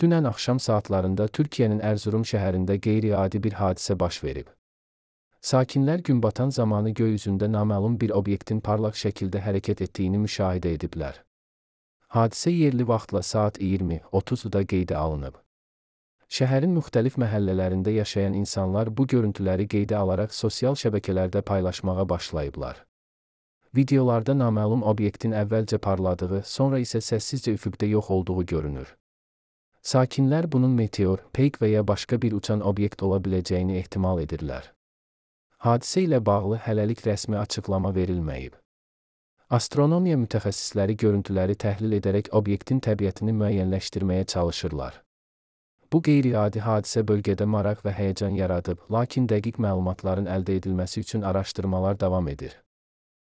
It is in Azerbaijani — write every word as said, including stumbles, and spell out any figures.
Dünən axşam saatlarında Türkiyənin Ərzurum şəhərində qeyri-adi bir hadisə baş verib. Sakinlər gün batan zamanı göy üzündə naməlum bir obyektin parlaq şəkildə hərəkət etdiyini müşahidə ediblər. Hadisə yerli vaxtla saat iyirmi otuzda qeydə alınıb. Şəhərin müxtəlif məhəllələrində yaşayan insanlar bu görüntüləri qeydə alaraq sosial şəbəkələrdə paylaşmağa başlayıblar. Videolarda naməlum obyektin əvvəlcə parladığı, sonra isə səssizcə üfüqdə yox olduğu görünür. Sakinlər bunun meteor, peyk və ya başqa bir uçan obyekt ola biləcəyini ehtimal edirlər. Hadisə ilə bağlı hələlik rəsmi açıqlama verilməyib. Astronomiya mütəxəssisləri görüntüləri təhlil edərək obyektin təbiətini müəyyənləşdirməyə çalışırlar. Bu qeyri-adi hadisə bölgədə maraq və həyəcan yaradıb, lakin dəqiq məlumatların əldə edilməsi üçün araşdırmalar davam edir.